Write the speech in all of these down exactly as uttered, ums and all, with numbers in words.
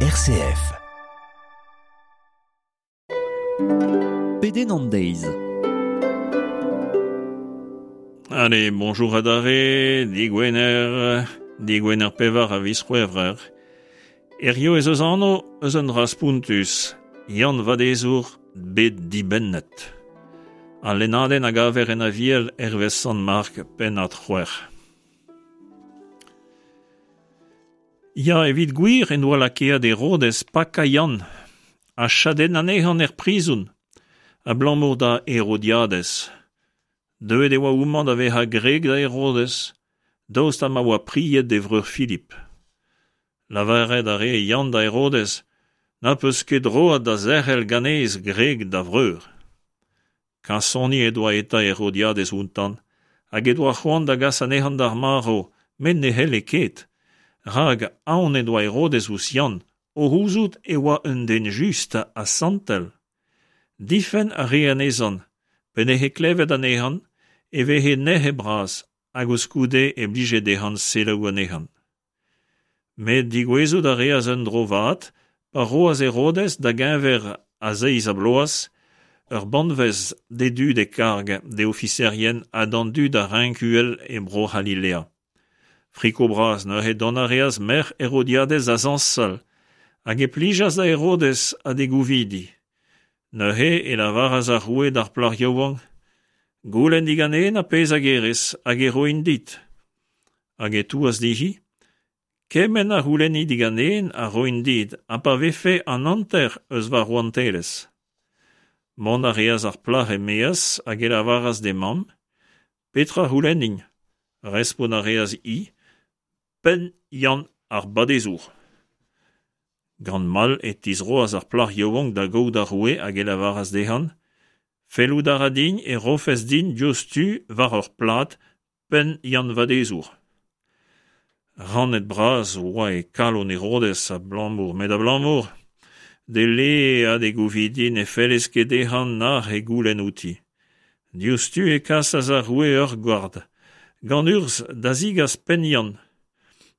R C F. Pedenn an deiz. Allez, bonjour adarre, digwener, digwener pevar a viz C'hwevrer. Hirio ez eus anv eus un dra spontus, Yann Vadezour bet dibennet. Al lennadenn a gaver en Aviel hervez Sant Mark pennad c'hwec'h. Ya, evit gwir en doa lakaet Herodez pakañ Yann ha chadennañ anezhañ er prizon, abalamour da Herodiadez. Deuet e oa homañ da vezañ gwreg da Herodez, daoust ha ma oa pried d'e vreur Filip. Lavaret a rae Yann da Herodez, n'az peus ket droad da zerc'hel ganez gwreg da vreur. Kasoni he doa eta Herodiadez outañ, hag he doa c'hoant da gas anezhañ d'ar marv, met ne c'helle ket, rak aon en doa Herodez ouzh Yann, o c'houzout e oa un den just ha santel. Difenn a rae anezhañ, pa 'nije klevet anezhañ e veze nec'het bras hag koulskoude e blije dezhañ selaou anezhañ. Met degouezhout a reas un dro vat pa roas Herodez da geñver a zeiz-ha-bloaz ur banvez d'e dud e karg, d'e ofiserien ha d'an dud a renk uhel e Bro-C'halilea. Friko bras neuze dont a reas merc'h Herodiadez da zañsal hag e plijas da Herodez ha d'e gouvidi. Neuze e lavaras ar roue d'ar plac'h yaouank, Goulenn diganen ar pezh a gerez hag e roin dit. Hag e touas dezhi, Kement a c'houlenni diganen a roin dit, ha pa vefe an hanter eus va rouantelezh. Mont a reas ar plac'h e-maez hag e lavaras d'he mamm, Petra c'houlennin ? Respont a reas-hi, Penn Yann ar Badezour. Gant mall e tizroas ar plac'h yaouank da gaout ar roue hag e lavaras dezhañ, Fellout a ra din e rofes din diouzhtu war ur plad penn Yann Vadezour. Rannet-bras oa e kalon Herodez abalamour met abalamour d'e le ha d'e gouvidi ne felle ket dezhañ nac'h he goulenn outi. Diouzhtu e kasas ar roue ur gward, gant urzh da zegas penn Yann.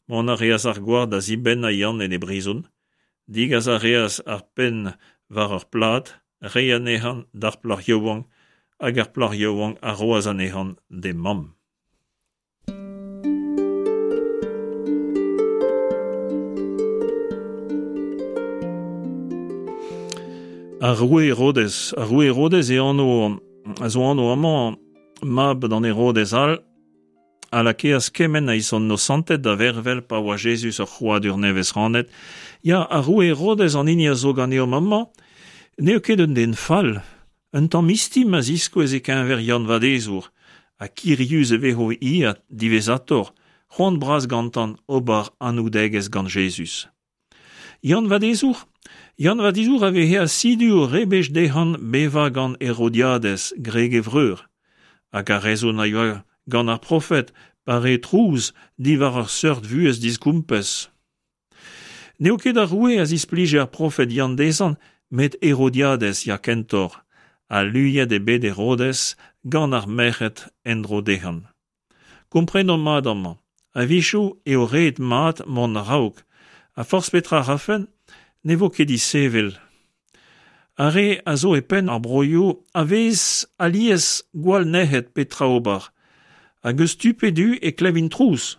Mont a reas ar gward da zibennañ Yann en e brizon, degas a reas ar penn war ur plad, reiñ anezhañ d'ar plac'h yaouank hag ar plac'h yaouank a roas anezhañ d'he mamm. Ar roue Herodez. Ar roue Herodez e anv a zo anv amañ mab d'an Herodez all a lakeas kement a inosanted da vervel pa oa Jezuz ur c'hrouadur nevez c'hanet. Ya, ar roue Herodez an hini a zo ganeomp amañ, n'eo ket un den fall, un tamm istim a ziskouez e-keñver Yann Vadezour, ha kirius e vezo hi diwezhatoc'h, c'hoant bras gantañ ober anaoudegezh gant Jezuz. Yann Vadezour ? Yann Vadezour a veze asidu o rebech dezhañ bevañ gant Herodiadez, gwreg e vreur, hag ar rezon a yoa gant ar profed pa rae trouz diwar ur seurt vuhez digompez. N'eo ket ar roue a zisplije ar profed Yann dezhañ, met Herodiadez ya kentoc'h, ha luiet eo bet Herodez gant ar merc'hed en-dro dezhañ. Komprenomp mat amañ, a-wechoù eo ret mat mont a-raok, ha forzh petra 'rafen, ne vo ket disevel. Ar re a zo e penn ar broioù a vez alies gwall nec'het petra ober, hag eus tu pe du e klevint trouz.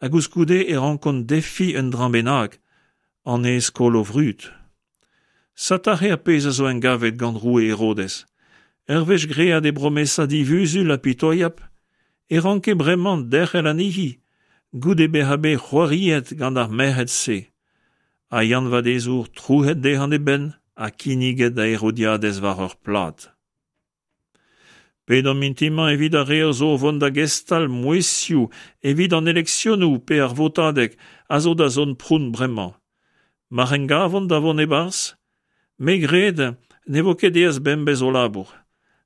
Ha koulskoude e rankont defiñ un dra bennak, anez koll o vrud. Sed aze ar pezh a zo engavet gant roue Herodez. Ur wech graet e bromesa divuzul ha pitoiap, e ranke bremañ derc'hel anezhi, goude bezañ bet c'hoariet gant ar merc'hed-se. Ha Yann Vadezour trouc'het dezhañ e benn ha kinniget da Herodiadez war ur plad. Pedomp mintin-mañ evit ar re a zo o vont da gestal mouezhioù evit an eleksionoù pe ar votadeg a zo da zont pront bremañ. Mar en gavont da vont e-barzh, me 'gred ne vo ket aes bemdez o labour.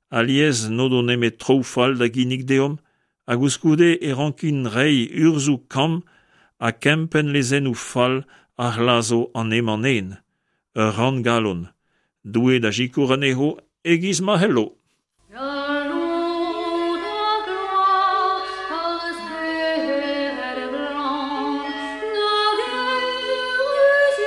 Alies n'o do nemet traoù fall da ginnig deomp, ha koulskoude e rankint reiñ urzhioù kamm ha kempenn lezennoù fall a c'hlazo an hemañ-nen. Ur ranngalon. Doue da sikour anezho e-giz ma c'hello. Galloud ha gloar ar stered glan nag eürus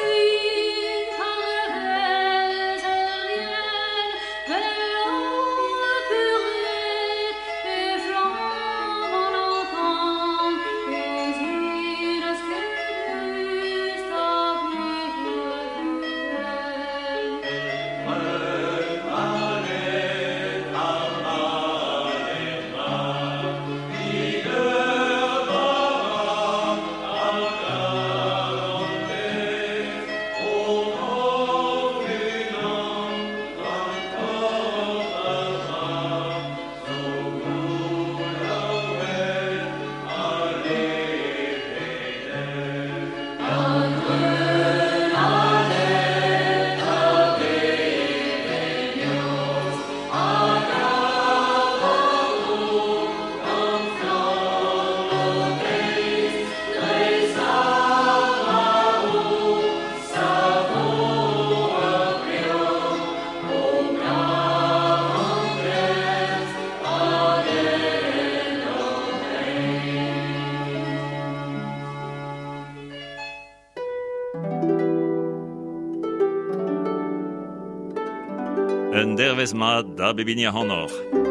Un dervezh mat da bep hini ac'hanoc'h.